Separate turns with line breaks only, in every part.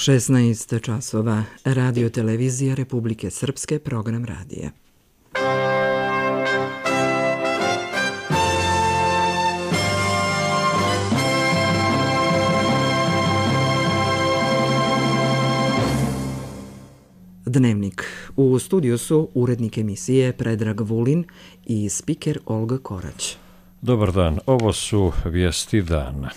16 časova. Radio televizija Republike Srpske, program radija. Dnevnik. U studiju su urednik emisije Predrag Vulin i spiker Olga Korać.
Dobar dan, ovo su vijesti dana.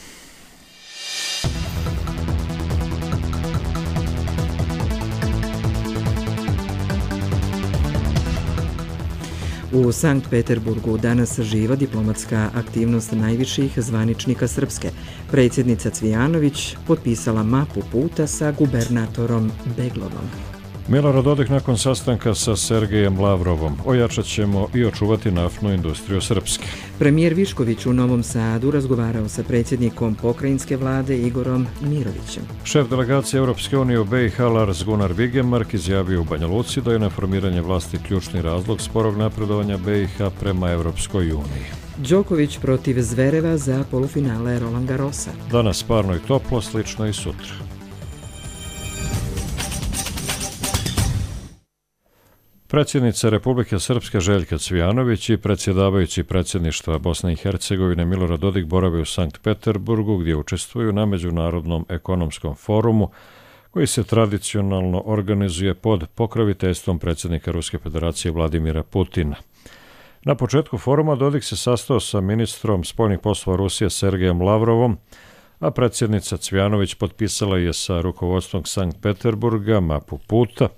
U Sankt Peterburgu danas živa diplomatska aktivnost najviših zvaničnika Srpske. Predsjednica Cvijanović potpisala mapu puta sa gubernatorom Beglovom.
Milorad Dodik nakon sastanka sa Sergejem Lavrovom. Ojačat ćemo i očuvati naftnu industriju Srpske.
Premijer Višković u Novom Sadu razgovarao sa predsjednikom pokrajinske vlade Igorom Mirovićem.
Šef delegacije Europske unije u BiH Lars Gunnar Vigemark izjavio u Banja Luci da je na formiranje vlasti ključni razlog sporog napredovanja BiH prema Europskoj uniji.
Đoković protiv Zvereva za polufinale Roland Garrosa.
Danas parno i toplo, slično i sutra. Predsjednica Republike Srpske Željka Cvijanović i predsjedavajući predsjedništva Bosne i Hercegovine Milorad Dodik borave u Sankt Peterburgu gdje učestvuju na Međunarodnom ekonomskom forumu koji se tradicionalno organizuje pod pokroviteljstvom predsjednika Ruske federacije Vladimira Putina. Na početku foruma Dodik se sastao sa ministrom spoljnih poslova Rusije Sergejem Lavrovom, a predsjednica Cvijanović potpisala je sa rukovodstvom Sankt Peterburga mapu puta,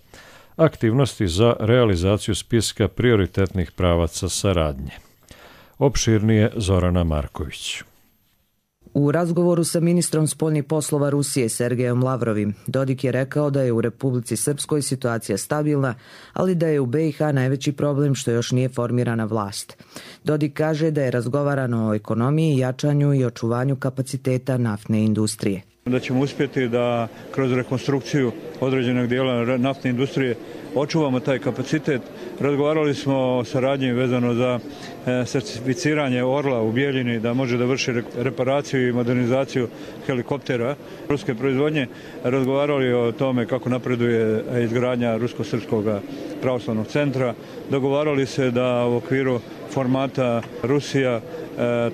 aktivnosti za realizaciju spiska prioritetnih pravaca saradnje. Opširnije Zorana Marković.
U razgovoru sa ministrom spoljnih poslova Rusije Sergejom Lavrovim, Dodik je rekao da je u Republici Srpskoj situacija stabilna, ali da je u BiH najveći problem što još nije formirana vlast. Dodik kaže da je razgovarano o ekonomiji, jačanju i očuvanju kapaciteta naftne industrije.
Da ćemo uspjeti da kroz rekonstrukciju određenog dijela naftne industrije očuvamo taj kapacitet. Razgovarali smo o saradnji vezano za certificiranje Orla u Bijeljini, da može da vrši reparaciju i modernizaciju helikoptera ruske proizvodnje. Razgovarali o tome kako napreduje izgradnja Rusko-srpskog pravoslavnog centra. Dogovarali se da u okviru formata Rusija,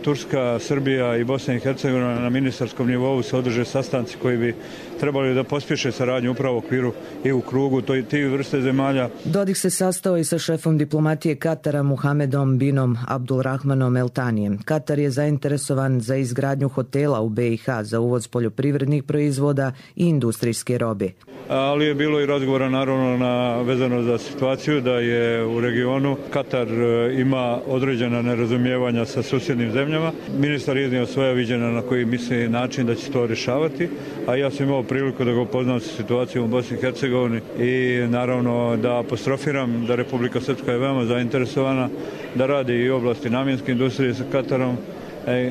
Turska, Srbija i Bosna i Hercegovina na ministarskom nivou se održe sastanci koji bi trebali da pospješe saradnju upravo u okviru i u krugu tih vrste zemalja.
Dodik se sastao i sa šefom diplomatije Katara Muhamedom binom Abdulrahmanom El Tanijem. Katar je zainteresovan za izgradnju hotela u BiH za uvoz poljoprivrednih proizvoda i industrijske robe.
Ali je bilo i razgovora naravno vezano za situaciju da je u regionu Katar ima određena nerazumijevanja sa susjednim zemljama. Ministar je iznio svoja viđenja na koji misli način da će to rješavati, a ja sam imao priliku da ga upoznam sa situacijom u Bosni i Hercegovini i naravno da apostrofiram da Republika Srpska je veoma zainteresovana da radi i u oblasti namjenske industrije sa Katarom,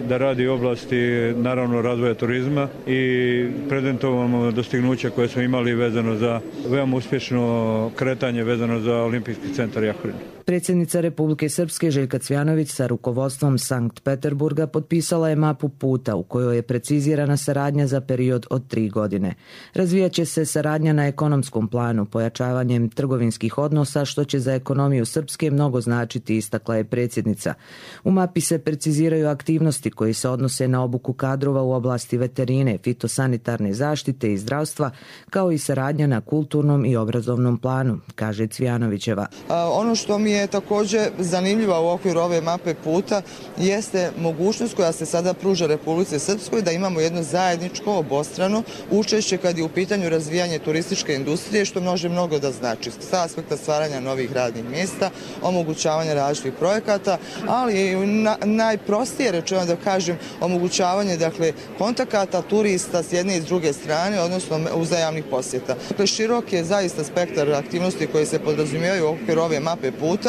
da radi u oblasti naravno razvoja turizma i prezentovamo dostignuća koje smo imali vezano za veoma uspješno kretanje vezano za Olimpijski centar Jahorin.
Predsjednica Republike Srpske Željka Cvijanović sa rukovodstvom Sankt Peterburga potpisala je mapu puta u kojoj je precizirana saradnja za period od 3 godine. Razvijaće se saradnja na ekonomskom planu, pojačavanjem trgovinskih odnosa, što će za ekonomiju Srpske mnogo značiti, istakla je predsjednica. U mapi se preciziraju aktivnosti koji se odnose na obuku kadrova u oblasti veterine, fitosanitarne zaštite i zdravstva, kao i saradnja na kulturnom i obrazovnom planu, kaže Cvijanovićeva.
Ono što mi je također zanimljiva u okviru ove mape puta jeste mogućnost koja se sada pruža Republici Srpskoj da imamo jedno zajedničko obostrano učešće kad je u pitanju razvijanje turističke industrije, što može mnogo da znači sa aspekta stvaranja novih radnih mjesta, omogućavanja različitih projekata, ali i najprostije rečeno da kažem omogućavanje kontakata turista s jedne i s druge strane, odnosno uzajamnih posjeta. Širok je zaista spektar aktivnosti koje se podrazumijevaju u okviru ove mape puta,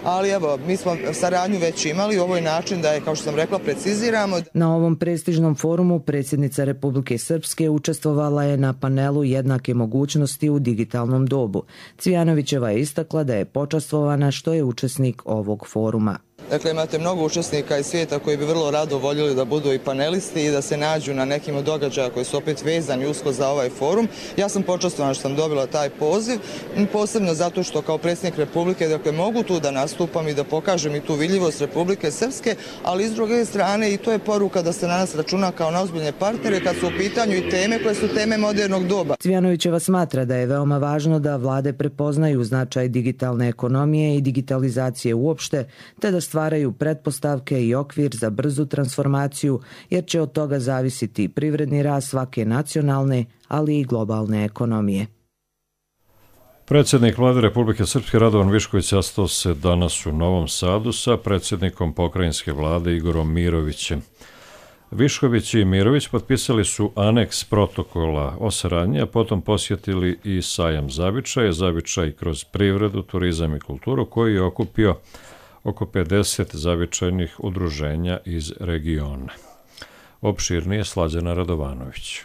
ali evo, mi smo saradnju već imali, ovo je način da je, kao što sam rekla, preciziramo.
Na ovom prestižnom forumu predsjednica Republike Srpske učestvovala je na panelu jednake mogućnosti u digitalnom dobu. Cvijanovićeva je istakla da je počastvovana što je učesnik ovog foruma.
Dakle, imate mnogo učesnika iz svijeta koji bi vrlo rado voljeli da budu i panelisti i da se nađu na nekim od događaja koji su opet vezani usko za ovaj forum. Ja sam počastvovana što sam dobila taj poziv, posebno zato što kao predsjednik Republike, dakle, mogu tu da nastupam i da pokažem i tu vidljivost Republike Srpske, ali s druge strane i to je poruka da se na nas računa kao na ozbiljne partnere kad su u pitanju i teme koje su teme modernog doba.
Cvijanovićeva smatra da je veoma važno da vlade prepoznaju značaj digitalne ekonomije i digitalizacije uopšte, te da stvaraju pretpostavke i okvir za brzu transformaciju, jer će od toga zavisiti privredni rast svake nacionalne, ali i globalne ekonomije.
Predsjednik Vlade Republike Srpske Radovan Višković sastao se danas u Novom Sadu sa predsjednikom pokrajinske vlade Igorom Mirovićem. Višković i Mirović potpisali su aneks protokola o saradnji, a potom posjetili i sajam Zavičaja, Zavičaj kroz privredu, turizam i kulturu, koji je okupio oko 50 zavičajnih udruženja iz regiona. Opširnije Slađana Radovanović.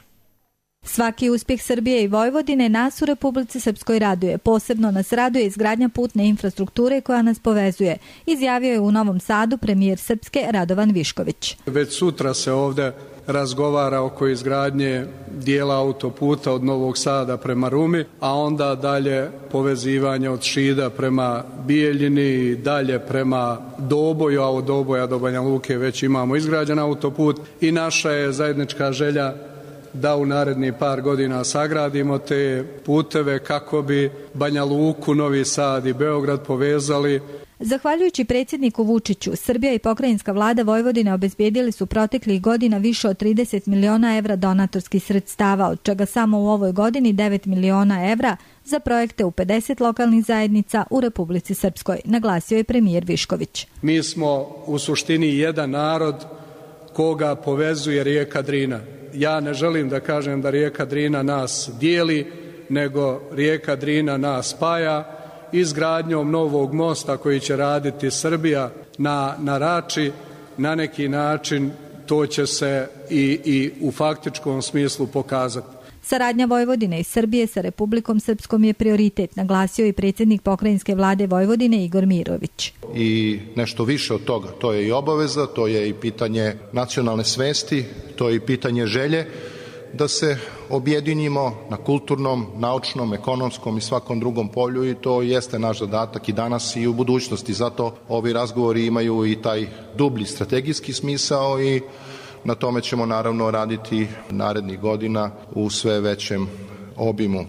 Svaki uspjeh Srbije i Vojvodine nas u Republici Srpskoj raduje. Posebno nas raduje izgradnja putne infrastrukture koja nas povezuje, izjavio je u Novom Sadu premijer Srpske Radovan Višković.
Već sutra se ovdje razgovara oko izgradnje dijela autoputa od Novog Sada prema Rumi, a onda dalje povezivanje od Šida prema Bijeljini, dalje prema Doboju, a od Doboja do Banja Luke već imamo izgrađen autoput i naša je zajednička želja da u narednih par godina sagradimo te puteve kako bi Banja Luku, Novi Sad i Beograd povezali.
Zahvaljujući predsjedniku Vučiću, Srbija i pokrajinska vlada Vojvodine obezbijedili su proteklih godina više od 30 miliona evra donatorskih sredstava, od čega samo u ovoj godini 9 miliona evra za projekte u 50 lokalnih zajednica u Republici Srpskoj, naglasio je premijer Višković.
Mi smo u suštini jedan narod koga povezuje rijeka Drina. Ja ne želim da kažem da rijeka Drina nas dijeli, nego rijeka Drina nas spaja. Izgradnjom novog mosta koji će raditi Srbija na Rači, na neki način to će se i u faktičkom smislu pokazati.
Saradnja Vojvodine i Srbije sa Republikom Srpskom je prioritet, naglasio i predsjednik pokrajinske vlade Vojvodine Igor Mirović.
I nešto više od toga, to je i obaveza, to je i pitanje nacionalne svesti, to je i pitanje želje da se objedinimo na kulturnom, naučnom, ekonomskom i svakom drugom polju i to jeste naš zadatak i danas i u budućnosti. Zato ovi razgovori imaju i taj dublji strategijski smisao i na tome ćemo naravno raditi narednih godina u sve većem obimu.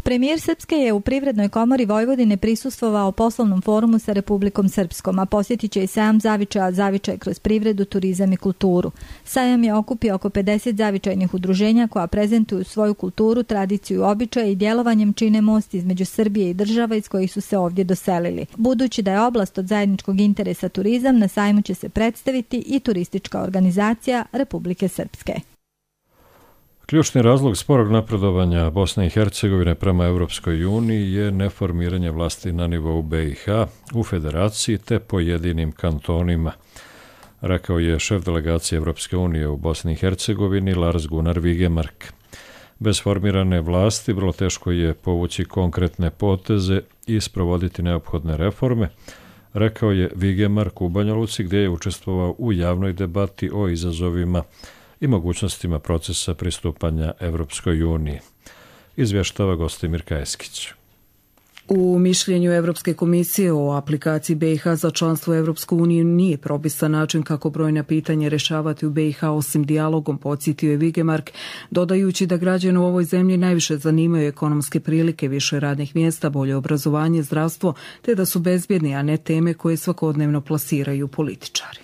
Premijer Srpske je u Privrednoj komori Vojvodine prisustvovao poslovnom forumu sa Republikom Srpskom, a posjetit će i sajam Zavičaja, Zavičaj kroz privredu, turizam i kulturu. Sajam je okupio oko 50 zavičajnih udruženja koja prezentuju svoju kulturu, tradiciju, običaje i djelovanjem čine most između Srbije i država iz kojih su se ovdje doselili. Budući da je oblast od zajedničkog interesa turizam, na sajmu će se predstaviti i turistička organizacija Republike Srpske.
Ključni razlog sporog napredovanja Bosne i Hercegovine prema Europskoj uniji je neformiranje vlasti na nivou BiH u federaciji te pojedinim kantonima, rekao je šef delegacije Europske unije u Bosni i Hercegovini Lars Gunnar Vigemark. Bez formirane vlasti vrlo teško je povući konkretne poteze i sprovoditi neophodne reforme, rekao je Vigemark u Banja Luci gdje je učestvovao u javnoj debati o izazovima i mogućnostima procesa pristupanja Evropskoj uniji. Izvještava Gostimir Kajeskić.
U mišljenju Evropske komisije o aplikaciji BiH za članstvo u Evropsku uniju nije propisan način kako brojna pitanja rješavati u BiH osim dijalogom, podsjetio je Vigemark, dodajući da građane u ovoj zemlji najviše zanimaju ekonomske prilike, više radnih mjesta, bolje obrazovanje, zdravstvo, te da su bezbjedni, a ne teme koje svakodnevno plasiraju političari.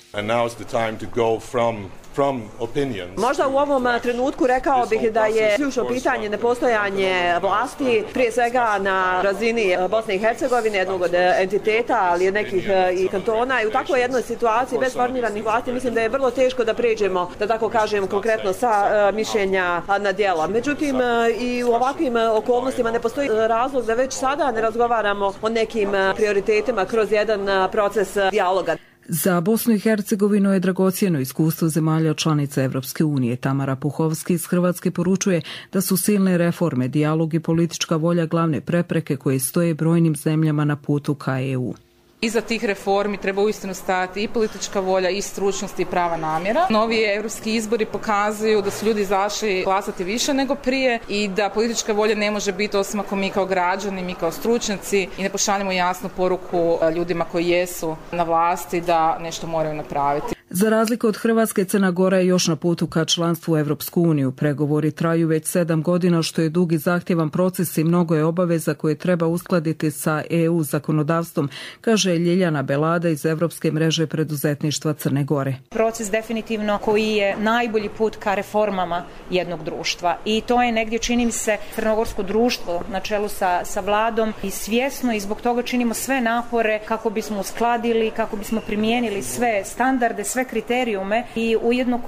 Možda u ovom trenutku rekao bih da je ključno pitanje nepostojanje vlasti, prije svega na razini Bosne i Hercegovine, jednog od entiteta, ali i nekih i kantona. I u takvoj jednoj situaciji bez formiranih vlasti mislim da je vrlo teško da pređemo, da tako kažem, konkretno sa mišljenja na djela. Međutim, i u ovakvim okolnostima ne postoji razlog da već sada ne razgovaramo o nekim prioritetima kroz jedan proces dijaloga.
Za Bosnu i Hercegovinu je dragocjeno iskustvo zemalja članica Evropske unije. Tamara Puhovski iz Hrvatske poručuje da su silne reforme, dijalog i politička volja glavne prepreke koje stoje brojnim zemljama na putu ka EU.
Iza tih reformi treba uistinu stajati i politička volja, i stručnost, i prava namjera. Novi europski izbori pokazuju da su ljudi izašli glasati više nego prije i da politička volja ne može biti osim ako mi kao građani, mi kao stručnjaci i ne pošaljemo jasnu poruku ljudima koji jesu na vlasti da nešto moraju napraviti.
Za razliku od Hrvatske, Crna Gora je još na putu ka članstvu u Evropsku uniju. Pregovori traju već 7 godina, što je dug i zahtjevan proces i mnogo je obaveza koje treba uskladiti sa EU zakonodavstvom, kaže Ljiljana Belada iz Evropske mreže preduzetništva Crne Gore.
Proces definitivno koji je najbolji put ka reformama jednog društva i to je negdje, čini mi se, crnogorsko društvo na čelu sa vladom i svjesno i zbog toga činimo sve napore kako bismo uskladili, kako bismo primijenili sve standarde, sve kriterijume i ujedno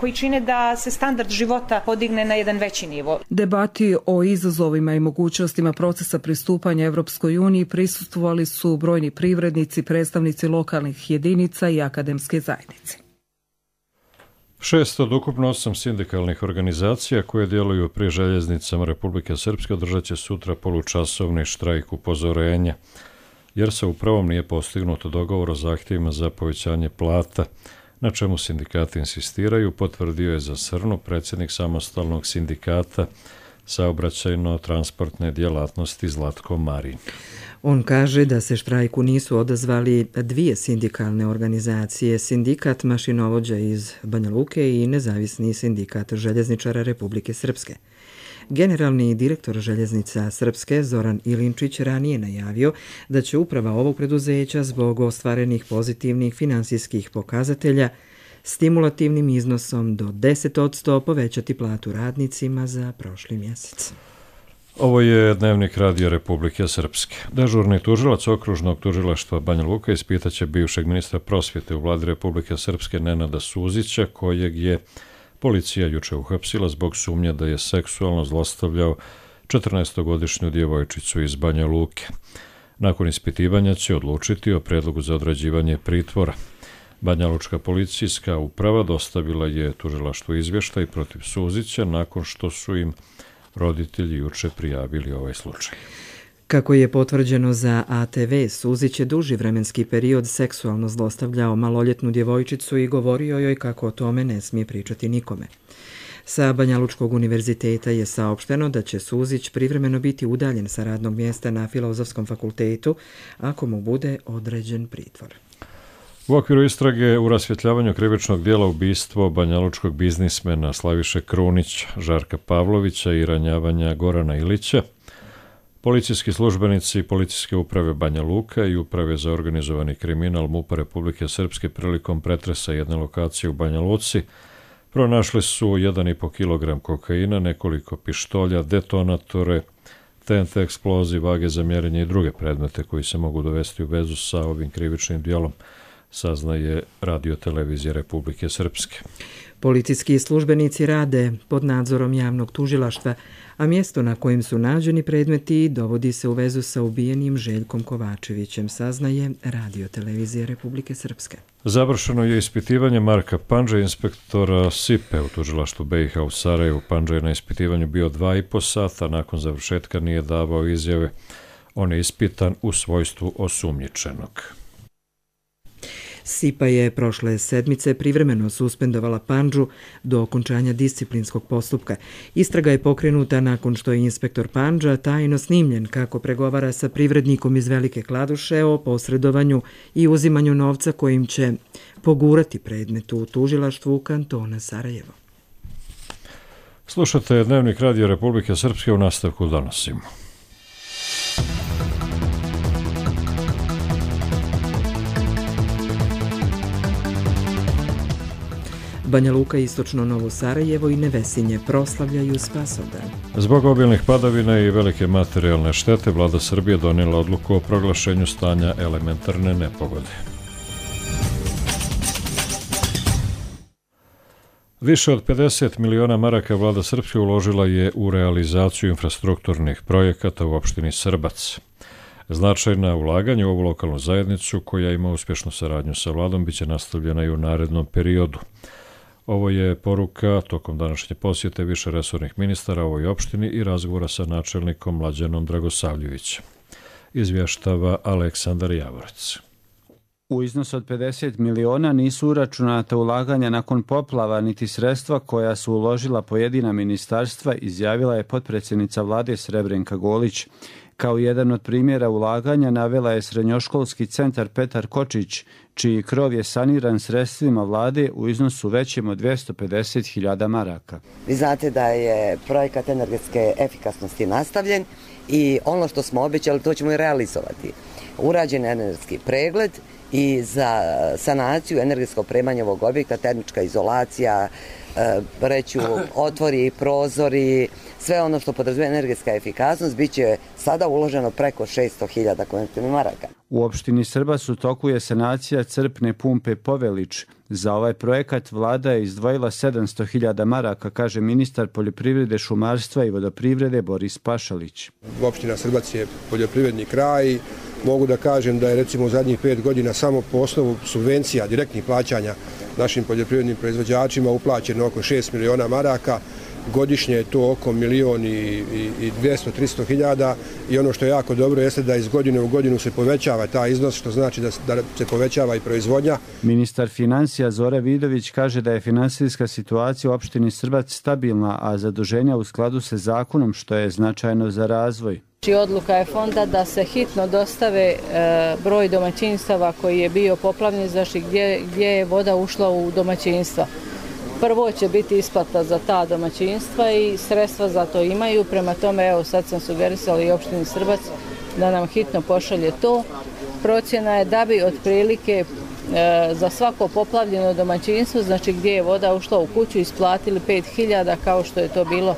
koji čine da se standard života podigne na jedan veći nivo.
Debati o izazovima i mogućnostima procesa pristupanja Evropskoj uniji prisustvovali su brojni privrednici, predstavnici lokalnih jedinica i akademske zajednice.
6 od ukupno 8 sindikalnih organizacija koje djeluju pri željeznicama Republike Srpske održat će sutra polučasovni štrajk upozorenja, jer se upravo nije postignuto dogovor o zahtjevima za povećanje plata, na čemu sindikati insistiraju, potvrdio je za Srnu predsjednik samostalnog sindikata saobraćajno-transportne djelatnosti Zlatko Marin.
On kaže da se štrajku nisu odazvali dvije sindikalne organizacije, sindikat mašinovođa iz Banja Luke i nezavisni sindikat željezničara Republike Srpske. Generalni direktor željeznica Srpske Zoran Ilinčić ranije najavio da će uprava ovog preduzeća zbog ostvarenih pozitivnih finansijskih pokazatelja stimulativnim iznosom do 10% povećati platu radnicima za prošli mjesec.
Ovo je Dnevnik Radio Republike Srpske. Dežurni tužilac okružnog tužilaštva Banja Luka ispitaće bivšeg ministra prosvjete u vladi Republike Srpske Nenada Suzića, kojeg je policija juče uhapsila zbog sumnje da je seksualno zlostavljao 14-godišnju djevojčicu iz Banja Luke. Nakon ispitivanja će odlučiti o predlogu za određivanje pritvora. Banja Lučka policijska uprava dostavila je tužilaštvu izvještaj protiv Suzića nakon što su im roditelji juče prijavili ovaj slučaj.
Kako je potvrđeno za ATV, Suzić je duži vremenski period seksualno zlostavljao maloljetnu djevojčicu i govorio joj kako o tome ne smije pričati nikome. Sa Banja Lučkog univerziteta je saopšteno da će Suzić privremeno biti udaljen sa radnog mjesta na Filozofskom fakultetu ako mu bude određen pritvor.
U okviru istrage u rasvjetljavanju krivičnog dijela ubistvo banjalučkog biznismena Slaviše Krunića, Žarka Pavlovića i ranjavanja Gorana Ilića, policijski službenici Policijske uprave Banja Luka i Uprave za organizovani kriminal MUP-a Republike Srpske prilikom pretresa jedne lokacije u Banja Luci pronašli su 1,5 kg kokaina, nekoliko pištolja, detonatore, TNT eksploziv, vage za mjerenje i druge predmete koji se mogu dovesti u vezu sa ovim krivičnim dijelom, saznaje Radio televizija Republike Srpske.
Policijski službenici rade pod nadzorom javnog tužilaštva, a mjesto na kojem su nađeni predmeti dovodi se u vezu sa ubijenim Željkom Kovačevićem, saznaje Radio televizija Republike Srpske.
Završeno je ispitivanje Marka Pandže, inspektora SIPE u tužilaštvu BiH u Sarajevu. Pandže je na ispitivanju bio 2,5 sata, nakon završetka nije davao izjave. On je ispitan u svojstvu osumnjičenog.
SIPA je prošle sedmice privremeno suspendovala Pandžu do okončanja disciplinskog postupka. Istraga je pokrenuta nakon što je inspektor Pandža tajno snimljen kako pregovara sa privrednikom iz Velike Kladuše o posredovanju i uzimanju novca kojim će pogurati predmet u tužilaštvu kantona Sarajevo.
Slušate Dnevnik Radio Republike Srpske, u nastavku donosimo.
Banja Luka, istočno Novo Sarajevo i Nevesinje proslavljaju Spasovdan.
Zbog obilnih padavina i velike materijalne štete, vlada Srbije donijela odluku o proglašenju stanja elementarne nepogode. Više od 50 miliona maraka vlada Srpske uložila je u realizaciju infrastrukturnih projekata u opštini Srbac. Značajna ulaganja u ovu lokalnu zajednicu, koja ima uspješnu saradnju sa vladom, biće nastavljena i u narednom periodu. Ovo je poruka tokom današnje posjete više resornih ministara ovoj opštini i razgovora sa načelnikom Mlađanom Dragosavljevićem. izvještava Aleksandar Javorac.
U iznosu od 50 miliona nisu uračunata ulaganja nakon poplava niti sredstva koja su uložila pojedina ministarstva, izjavila je potpredsjednica vlade Srebrenka Golić. Kao jedan od primjera ulaganja navela je srednjoškolski centar Petar Kočić, čiji krov je saniran sredstvima vlade u iznosu većem od 250.000 maraka.
Vi znate da je projekat energetske efikasnosti nastavljen i ono što smo obećali to ćemo i realizovati. Urađen je energetski pregled i za sanaciju energetskog opremanja ovog objekta, termička izolacija, reću otvori, prozori, sve ono što podrazumijeva energetska efikasnost, bit će sada uloženo preko 600.000 konvertibilnih maraka.
U opštini Srbas u toku je sanacija crpne pumpe Povelić. Za ovaj projekat vlada je izdvojila 700.000 maraka, kaže ministar poljoprivrede, šumarstva i vodoprivrede Boris Pašalić.
Opština Srbac je poljoprivredni kraj. Mogu da kažem da je recimo u zadnjih 5 godina samo po osnovu subvencija, direktnih plaćanja našim poljoprivrednim proizvođačima uplaćeno oko 6 miliona maraka. Godišnje je to oko 1.200.000-300 hiljada i ono što je jako dobro jeste da iz godine u godinu se povećava taj iznos, što znači da se povećava i proizvodnja.
Ministar financija Zoran Vidović kaže da je finansijska situacija u opštini Srbac stabilna, a zaduženja u skladu sa zakonom, što je značajno za razvoj.
Odluka je fonda da se hitno dostave broj domaćinstava koji je bio poplavljen, znači gdje je voda ušla u domaćinstva. Prvo će biti isplata za ta domaćinstva i sredstva za to imaju, prema tome evo sad sam sugerisala i opštini Srbac da nam hitno pošalje to. Procjena je da bi otprilike za svako poplavljeno domaćinstvo, znači gdje je voda ušla u kuću, isplatili 5.000 kao što je to bilo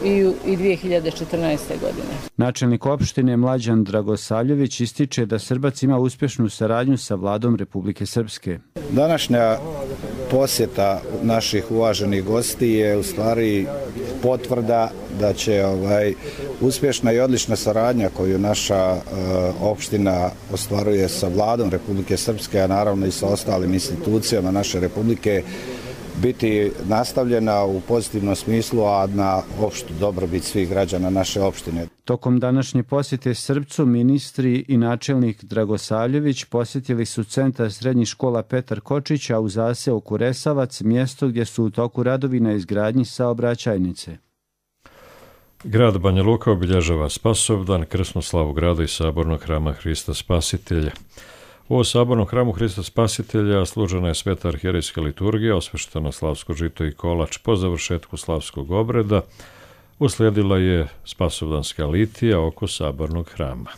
i 2014. godine.
Načelnik opštine Mlađan Dragosavljević ističe da Srbac ima uspješnu saradnju sa vladom Republike Srpske.
Današnja posjeta naših uvaženih gosti je u stvari potvrda da će uspješna i odlična saradnja koju naša opština ostvaruje sa vladom Republike Srpske, a naravno i sa ostalim institucijama naše republike, biti nastavljena u pozitivnom smislu, a na opštu dobrobit svih građana naše opštine.
Tokom današnje posjete Srbcu, ministri i načelnik Dragosavljević posjetili su centar srednjih škola Petar Kočić, a u zaseoku Resavac, mjesto gdje su u toku radovi na izgradnji saobraćajnice.
Grad Banja Luka obilježava Spasovdan, krsnu slavu grada i sabornog hrama Hrista Spasitelja. U sabornom hramu Hrista Spasitelja služena je sveta arhijerejska liturgija, osvešteno slavsko žito i kolač. Po završetku slavskog obreda uslijedila je spasovdanska litija oko sabornog hrama.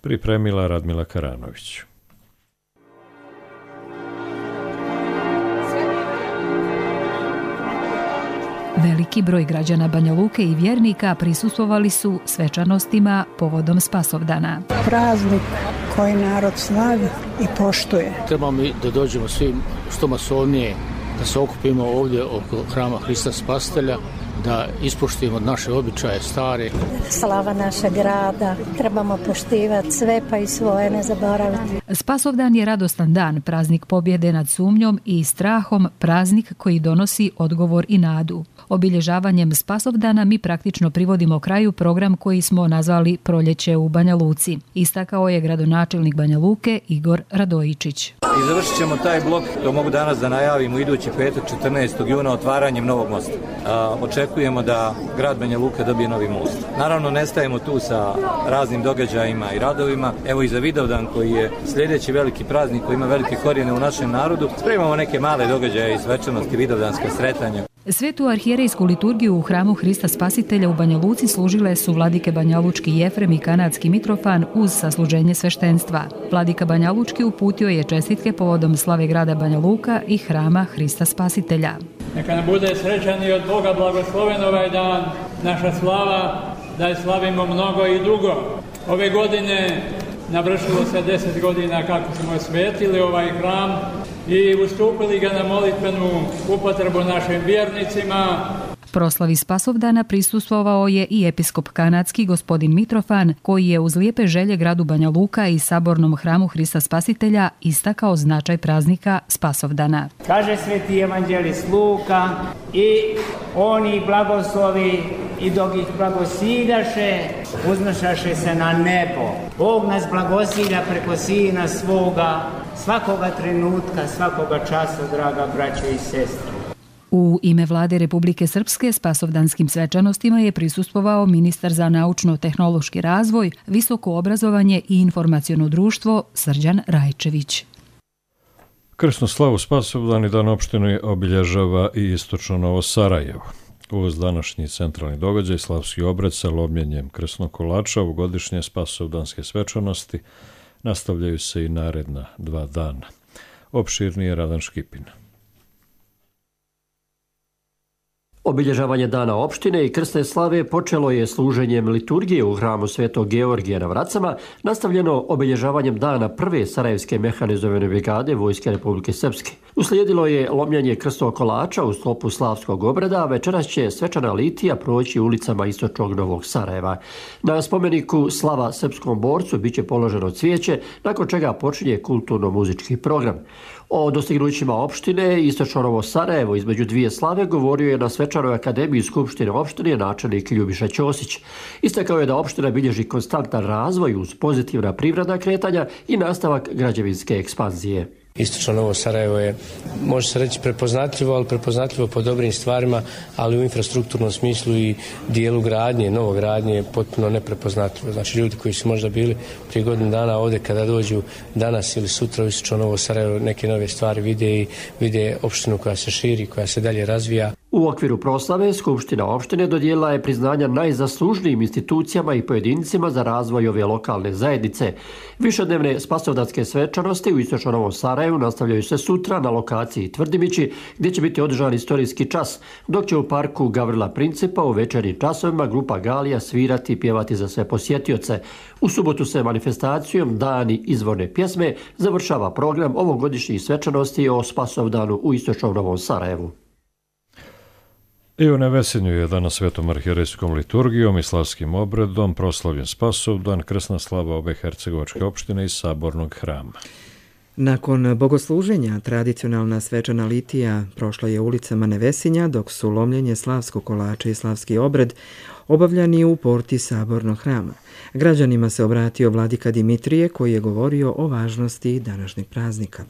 Pripremila Radmila Karanović.
Veliki broj građana Banja Luke i vjernika prisustvovali su svečanostima povodom Spasovdana.
Praznik koji narod slavi i poštuje.
Trebamo mi da dođemo svi što masovnije, da se okupimo ovdje oko hrama Hrista Spasitelja, da ispoštujemo naše običaje stare.
Slava našeg grada, trebamo poštivati sve pa i svoje ne zaboraviti.
Spasovdan je radostan dan, praznik pobjede nad sumnjom i strahom, praznik koji donosi odgovor i nadu. Obilježavanjem Spasovdana mi praktično privodimo kraju program koji smo nazvali Proljeće u Banja Luci. Istakao je gradonačelnik Banja Luke Igor Radojičić.
I završit ćemo taj blok, to mogu danas da najavimo idući petak 14. juna otvaranjem novog mosta. Očekujemo da grad Banja Luka dobije novi most. Naravno ne stajemo tu sa raznim događajima i radovima. Evo i za Vidovdan koji je sljedeći veliki praznik koji ima velike korijene u našem narodu. Spremamo neke male događaje i svečanosti, vidovdanska sretanja.
Svetu arhijerejsku liturgiju u hramu Hrista Spasitelja u Banja Luci služile su vladike Banjalučki Jefrem i kanadski Mitrofan uz sasluženje sveštenstva. Vladika Banjalučki uputio je čestitke povodom slave grada Banja Luka i hrama Hrista Spasitelja.
Neka nam bude srećan i od Boga blagosloven ovaj dan, naša slava, da je slavimo mnogo i dugo. Ove godine navršilo se 10 godina kako smo osvetili ovaj hram i ustupili ga na molitvenu upotrebu našim vjernicima.
Proslavi Spasovdana prisustvovao je i episkop kanadski gospodin Mitrofan, koji je uz lijepe želje gradu Banja Luka i sabornom hramu Hrista Spasitelja istakao značaj praznika Spasovdana.
Kaže sveti evanđelist Luka i oni blagoslovi
i dok ih blagosiljaše, uznošaše se na nebo. Bog nas blagosilja preko Sina svoga, svakoga trenutka, svakoga časa, draga braćo i sestre.
U ime Vlade Republike Srpske spasovdanskim svečanostima je prisustvovao ministar za naučno-tehnološki razvoj, visoko obrazovanje i informaciono društvo Srđan Rajčević.
Krsnu slavu Spasovdan i dan opštine obilježava i istočno Novo Sarajevo. Uz današnji centralni događaj slavski obred sa lomljenjem krsnog kolača u godišnje spasovdanske svečanosti nastavljaju se i naredna 2 dana. Opširnije Radan Škipin.
Obilježavanje dana opštine i krsne slave počelo je služenjem liturgije u hramu Svetog Georgija na Vracama, nastavljeno obilježavanjem dana prve Sarajevske mehanizovane brigade Vojske Republike Srpske. Uslijedilo je lomljanje krstnog kolača u sklopu slavskog obreda, a večeras će svečana litija proći ulicama istočnog Novog Sarajeva. Na spomeniku Slava srpskom borcu biće položeno cvijeće, nakon čega počinje kulturno-muzički program. O dostignućima opštine istočno Novo Sarajevo između 2 slave govorio je na svečanoj akademiji Skupštine opštine načelnik Ljubiša Ćosić. Istakao je da opština bilježi konstantan razvoj uz pozitivna privredna kretanja i nastavak građevinske ekspanzije.
Istočno Novo Sarajevo je, može se reći, prepoznatljivo, ali prepoznatljivo po dobrim stvarima, ali u infrastrukturnom smislu i dijelu gradnje, novogradnje je potpuno neprepoznatljivo. Znači ljudi koji su možda bili prije godinu dana ovdje, kada dođu danas ili sutra u Istočno Novo Sarajevo, neke nove stvari vide i vide opštinu koja se širi, koja se dalje razvija.
U okviru proslave Skupština opštine dodijelila je priznanja najzaslužnijim institucijama i pojedincima za razvoj ove lokalne zajednice. Višednevne spasovdanske svečanosti u Istočno Novom Sarajevu nastavljaju se sutra na lokaciji Tvrdimići, gdje će biti održan istorijski čas, dok će u parku Gavrila Principa u večernjim časovima grupa Galija svirati i pjevati za sve posjetioce. U subotu se manifestacijom Dani izvorne pjesme završava program ovogodišnjih svečanosti o Spasovdanu u Istočnom Novom Sarajevu.
I u Nevesinju je danas svetom arhijerejskom liturgijom i slavskim obredom proslavljen Spasovdan, krsna slava obe hercegovačke opštine i sabornog hrama.
Nakon bogosluženja tradicionalna svečana litija prošla je ulicama Nevesinja, dok su lomljenje slavskog kolača i slavski obred obavljani u porti sabornog hrama. Građanima se obratio vladika Dimitrije koji je govorio o važnosti današnjeg praznika.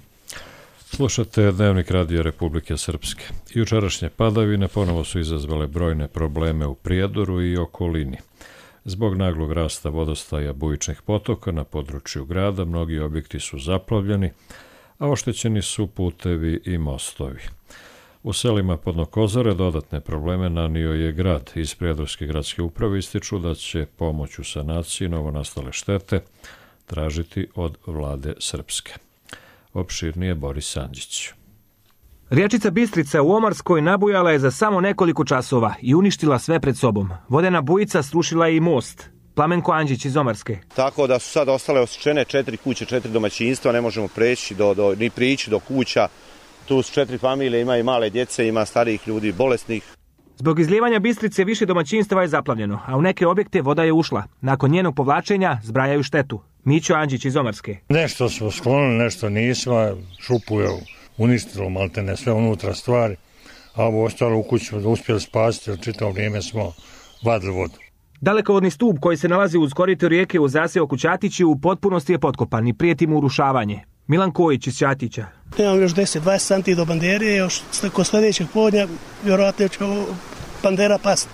Slušate Dnevnik Radija Republike Srpske. Jučerašnje padavine ponovo su izazvale brojne probleme u Prijedoru i okolini. Zbog naglog rasta vodostaja bujičnih potoka na području grada mnogi objekti su zaplavljeni, a oštećeni su putevi i mostovi. U selima Podnokozore dodatne probleme nanio je grad. Iz Prijedorske gradske uprave ističu da će pomoć u sanaciji novonastale štete tražiti od vlade Srpske. Opširnije Boris Andžić.
Riječica Bistrica u Omarskoj nabujala je za samo nekoliko časova i uništila sve pred sobom. Vodena bujica srušila je i most. Plamenko Andžić iz Omarske.
Tako da su sad ostale osušene 4 kuće, 4 domaćinstva, ne možemo preći ni prići do kuća. Tu su 4 familije, ima i male djece, ima starijih ljudi, bolesnih.
Zbog izlijevanja Bistrice više domaćinstva je zaplavljeno, a u neke objekte voda je ušla. Nakon njenog povlačenja zbrajaju štetu. Mićo Andžić iz Omarske.
Nešto smo sklonili, nešto nismo, šupu je uništilo maltene sve unutra stvari, a ovo ostalo u kući smo uspjeli spasiti, jer čitavo vrijeme smo vadili vodu.
Dalekovodni stup koji se nalazi uz korito rijeke u zaseoku Ćatići u potpunosti je potkopan i prijeti mu urušavanje. Milan Kojić iz Ćatića.
Imam još 10-20 santi do bandere, još kod sljedećeg podnja vjerojatno će bandera pasti.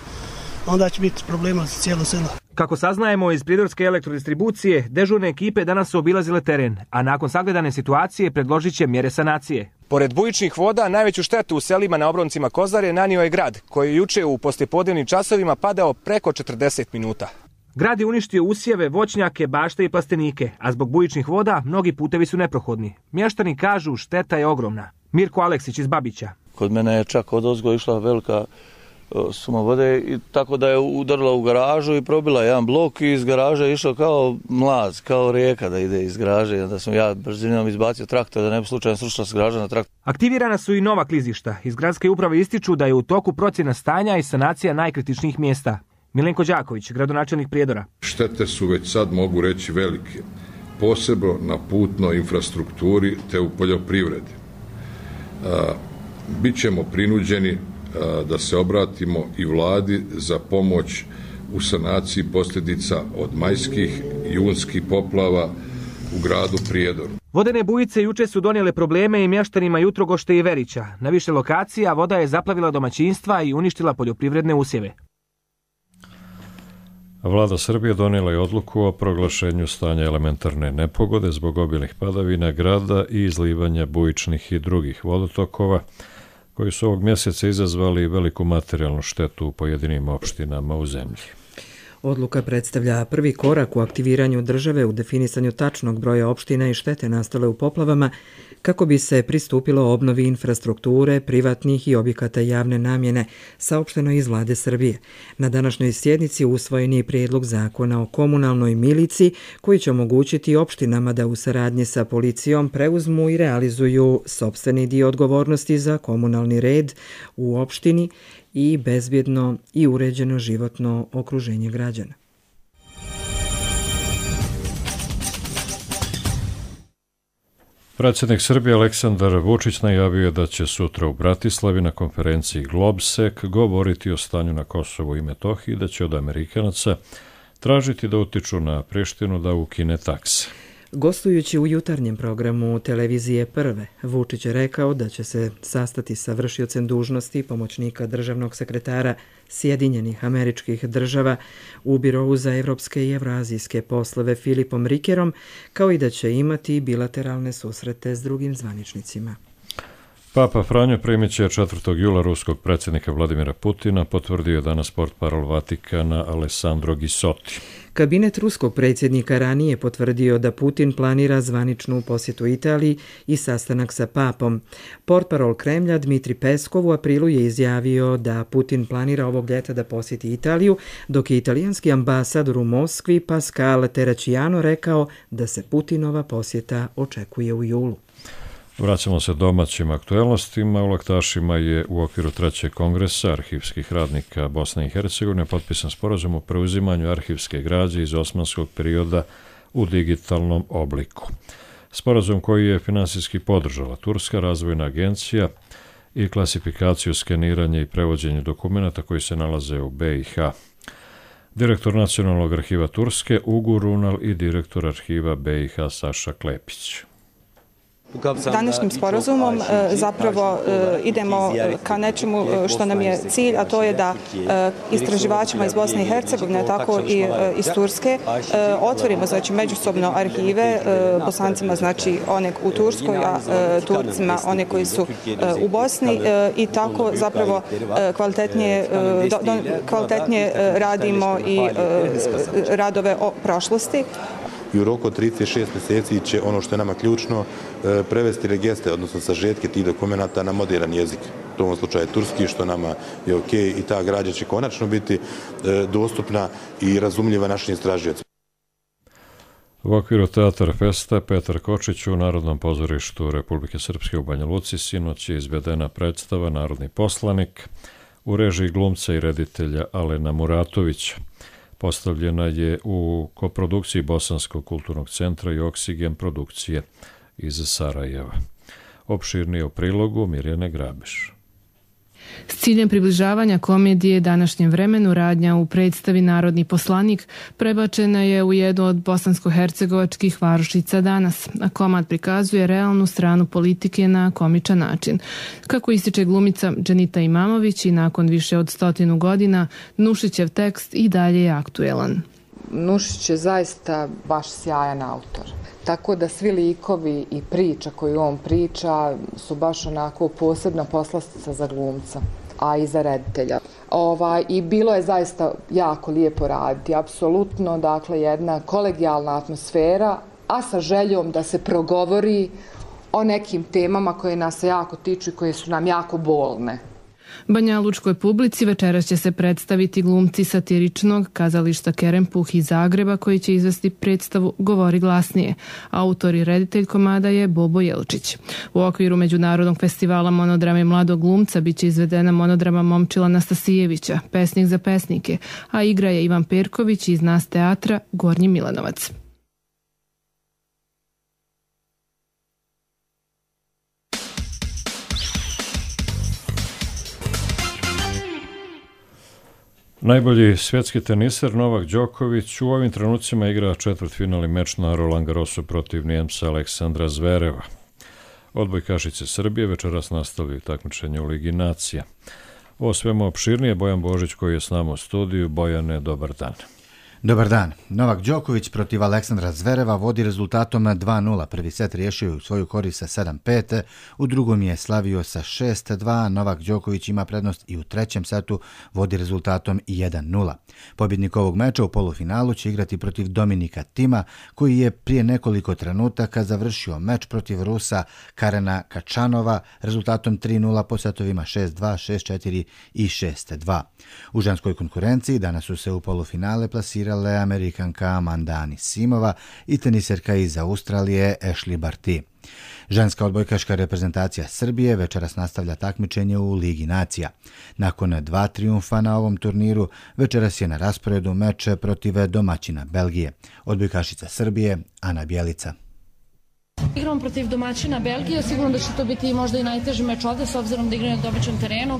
Onda će biti problema za cijelo selo.
Kako saznajemo iz Prijedorske elektrodistribucije, dežurne ekipe danas su obilazile teren, a nakon sagledane situacije predložit će mjere sanacije. Pored bujičnih voda, najveću štetu u selima na obroncima Kozare nanio je grad, koji je juče u poslijepodnevnim časovima padao preko 40 minuta. Grad je uništio usjeve, voćnjake, bašte i plastenike, a zbog bujičnih voda mnogi putevi su neprohodni. Mještani kažu šteta je ogromna. Mirko Aleksić iz Babića.
Kod mene je čak odozgo išla velika suma vode i tako da je udarila u garažu i probila jedan blok i iz garaža je išao kao mlaz, kao rijeka da ide iz garaže. Da sam ja brzinom izbacio traktor da ne bi slučajno srušila s garaža na traktor.
Aktivirana su i nova klizišta. Iz gradske uprave ističu da je u toku procjena stanja i sanacija najkritičnijih mjesta. Milenko Đaković, gradonačelnik Prijedora.
Štete su već sad, mogu reći, velike, posebno na putnoj infrastrukturi te u poljoprivredi. Bićemo prinuđeni da se obratimo i vladi za pomoć u sanaciji posljedica od majskih i junskih poplava u gradu Prijedoru.
Vodene bujice juče su donijele probleme i mještanima Jutrogošte i Verića. Na više lokacija voda je zaplavila domaćinstva i uništila poljoprivredne usjeve.
Vlada Srbije donijela je odluku o proglašenju stanja elementarne nepogode zbog obilnih padavina grada i izlivanja bujičnih i drugih vodotokova, koji su ovog mjeseca izazvali veliku materijalnu štetu u pojedinim opštinama u zemlji.
Odluka predstavlja prvi korak u aktiviranju države u definisanju tačnog broja opština i štete nastale u poplavama kako bi se pristupilo obnovi infrastrukture, privatnih i objekata javne namjene, saopšteno iz Vlade Srbije. Na današnjoj sjednici usvojen je prijedlog zakona o komunalnoj miliciji koji će omogućiti opštinama da u saradnji sa policijom preuzmu i realizuju sopstveni dio odgovornosti za komunalni red u opštini i bezbjedno i uređeno životno okruženje građana.
Predsjednik Srbije Aleksandar Vučić najavio je da će sutra u Bratislavi na konferenciji Globsek govoriti o stanju na Kosovu i Metohiji i da će od Amerikanaca tražiti da utiču na Prištinu da ukine takse.
Gostujući u jutarnjem programu televizije Prve, Vučić je rekao da će se sastati sa vršiocem dužnosti pomoćnika državnog sekretara Sjedinjenih Američkih Država u Birovu za evropske i evroazijske poslove Filipom Rikerom, kao i da će imati bilateralne susrete s drugim zvaničnicima.
Papa Franjo primit će 4. jula ruskog predsjednika Vladimira Putina, potvrdio je danas portparol Vatikana Alessandro Ghisotti.
Kabinet ruskog predsjednika ranije potvrdio da Putin planira zvaničnu posjetu Italiji i sastanak sa papom. Portparol Kremlja Dmitri Peskov u aprilu je izjavio da Putin planira ovog ljeta da posjeti Italiju, dok je italijanski ambasador u Moskvi Pascal Terracciano rekao da se Putinova posjeta očekuje u julu.
Vraćamo se domaćim aktuelnostima. U Laktašima je u okviru 3. kongresa arhivskih radnika Bosne i Hercegovine potpisan sporazum o preuzimanju arhivske građe iz osmanskog perioda u digitalnom obliku. Sporazum koji je finansijski podržala Turska razvojna agencija i klasifikaciju, skeniranje i prevođenje dokumenata koji se nalaze u BiH. Direktor Nacionalnog arhiva Turske Ugu Runal i direktor arhiva BiH Saša Klepić.
Današnjim sporazumom zapravo idemo ka nečemu što nam je cilj, a to je da istraživačima iz Bosne i Hercegovine, tako i iz Turske, otvorimo znači međusobno arhive, Bosancima znači one u Turskoj, a Turcima one koji su u Bosni i tako zapravo kvalitetnije radimo i radove o prošlosti.
I u roku od 36 mjeseci će ono što je nama ključno prevesti registre, odnosno sažetke tih dokumenata na modern jezik. U ovom slučaju turski, što nama je ok, i ta građa će konačno biti dostupna i razumljiva našim istražiocima.
U okviru Teatar Festa Petar Kočić u Narodnom pozorištu Republike Srpske u Banja Luci sinoć je izvedena predstava Narodni poslanik u režiji glumca i reditelja Alena Muratovića. Postavljena je u koprodukciji Bosanskog kulturnog centra i Oksigen produkcije iz Sarajeva. Opširnije u prilogu Mirjane Grabeš.
S ciljem približavanja komedije današnjem vremenu radnja u predstavi Narodni poslanik prebačena je u jednu od bosansko-hercegovačkih varošica danas, a komad prikazuje realnu stranu politike na komičan način. Kako ističe glumica Dženita Imamović i nakon više od 100 godina, Nušićev tekst i dalje je aktuelan.
Nušić je zaista baš sjajan autor. Tako da svi likovi i priča koju on priča su baš onako posebna poslastica za glumca, a i za reditelja. I bilo je zaista jako lijepo raditi, apsolutno, dakle jedna kolegijalna atmosfera, a sa željom da se progovori o nekim temama koje nas se jako tiču i koje su nam jako bolne.
Banjalučkoj publici večeras će se predstaviti glumci satiričnog kazališta Kerempuh iz Zagreba koji će izvesti predstavu Govori glasnije. Autor i reditelj komada je Bobo Jelčić. U okviru Međunarodnog festivala monodrame mladog glumca biće izvedena monodrama Momčila Nastasijevića, Pesnik za pesnike, a igra je Ivan Perković iz Nas teatra Gornji Milanovac.
Najbolji svjetski teniser Novak Đoković u ovim trenucima igra četvrtfinalni meč na Roland Garrosu protiv Nijemca Aleksandra Zvereva. Odbojkašice Srbije večeras nastavljaju takmičenje u Ligi nacija. O svemu opširnije Bojan Božić koji je s nama u studiju. Bojane, dobar dan.
Dobar dan. Novak Đoković protiv Aleksandra Zvereva vodi rezultatom 2-0. Prvi set riješio je u svoju korist sa 7-5, u drugom je slavio sa 6-2. Novak Đoković ima prednost i u trećem setu vodi rezultatom 1-0. Pobjednik ovog meča u polufinalu će igrati protiv Dominika Tima, koji je prije nekoliko trenutaka završio meč protiv Rusa Karena Kačanova rezultatom 3-0 po setovima 6-2, 6-4 i 6-2. U ženskoj konkurenciji danas su se u polufinale plasirali Amerikanka Amanda Anisimova i teniserka iz Australije Ashley Barty. Ženska odbojkaška reprezentacija Srbije večeras nastavlja takmičenje u Ligi nacija. Nakon 2 trijumfa na ovom turniru, večeras je na rasporedu meč protiv domaćina Belgije. Odbojkašica Srbije Ana Bjelica.
Igramo protiv domaćina Belgije, sigurno da će to biti možda i najteži meč ovdje s obzirom da igraju na domaćem terenu.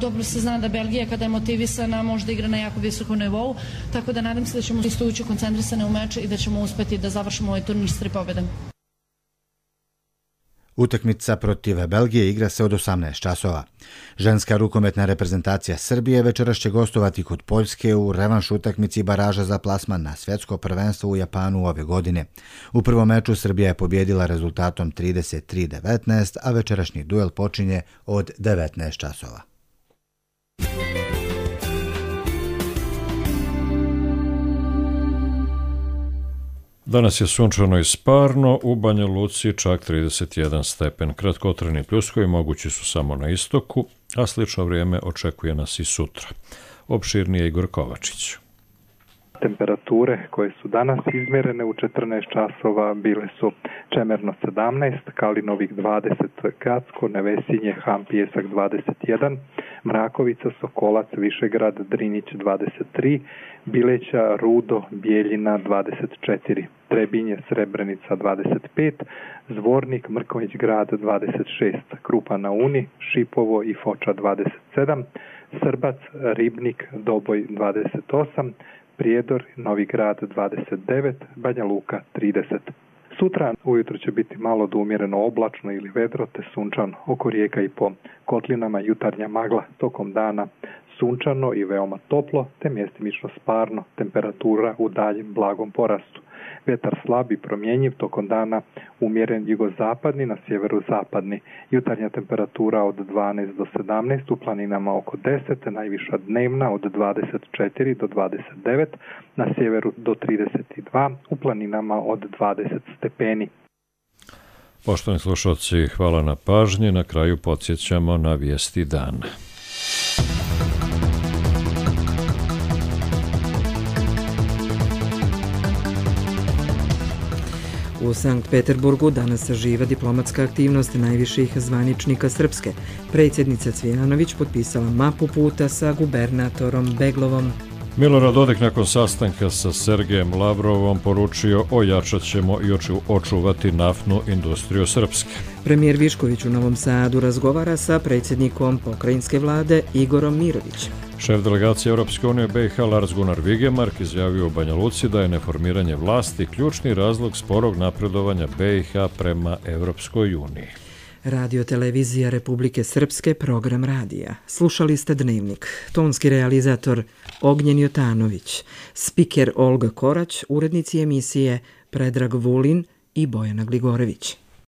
Dobro se zna da Belgija kada je motivisana možda igra na jako visokom nivou, tako da nadam se da ćemo isto ući koncentrisane u meč i da ćemo uspjeti da završimo ovaj turnir s 3 pobjede.
Utakmica protiv Belgije igra se od 18 časova. Ženska rukometna reprezentacija Srbije večeras će gostovati kod Poljske u revanš utakmici baraža za plasman na svjetsko prvenstvo u Japanu ove godine. U prvom meču Srbija je pobjedila rezultatom 33-19, a večerašnji duel počinje od 19 časova.
Danas je sunčano i sparno, u Banja Luci čak 31 stepen. Kratkotrajni pljuskovi mogući su samo na istoku, a slično vrijeme očekuje nas i sutra. Opširnije Igor Kovačić.
Temperature koje su danas izmjerene u 14 časova bile su Čemerno 17, Kalinovik 20, Gacko, Nevesinje, Ham, Pijesak 21, Mrakovica, Sokolac, Višegrad, Drinić 23, Bileća, Rudo, Bijeljina 24, Trebinje, Srebrenica 25, Zvornik, Mrkonjić grad 26, Krupa na Uni, Šipovo i Foča 27, Srbac, Ribnik, Doboj 28, Prijedor, Novi grad 29, Banja Luka 30. Sutra ujutro će biti malo do umjereno oblačno ili vedro te sunčano, oko rijeka i po kotlinama jutarnja magla, tokom dana sunčano i veoma toplo te mjestimično sparno, temperatura u daljem blagom porastu. Vjetar slab i promjenjiv, tokom dana umjeren jugozapadni, na sjeverozapadni. Jutarnja temperatura od 12 do 17, u planinama oko 10, najviša dnevna od 24 do 29, na sjeveru do 32, u planinama od 20 stepeni.
Poštovani slušalci, hvala na pažnji. Na kraju podsjećamo na vijesti dana.
U Sankt Peterburgu danas saživa diplomatska aktivnost najviših zvaničnika Srpske. Predsjednica Cvijanović potpisala mapu puta sa gubernatorom Beglovom.
Milorad Dodik nakon sastanka sa Sergejem Lavrovom poručio ojačat ćemo i očuvati naftnu industriju Srpske.
Premijer Višković u Novom Sadu razgovara sa predsjednikom pokrajinske vlade Igorom Mirovićem.
Šef delegacije Europske unije BiH Lars Gunnar Vigemark izjavio u Banja Luci da je neformiranje vlasti ključni razlog sporog napredovanja BiH prema Europskoj uniji.
Radio televizija Republike Srpske, program radija. Slušali ste Dnevnik. Tonski realizator Ognjen Jotanović, spiker Olga Korać, urednici emisije Predrag Vulin i Bojana Gligorević.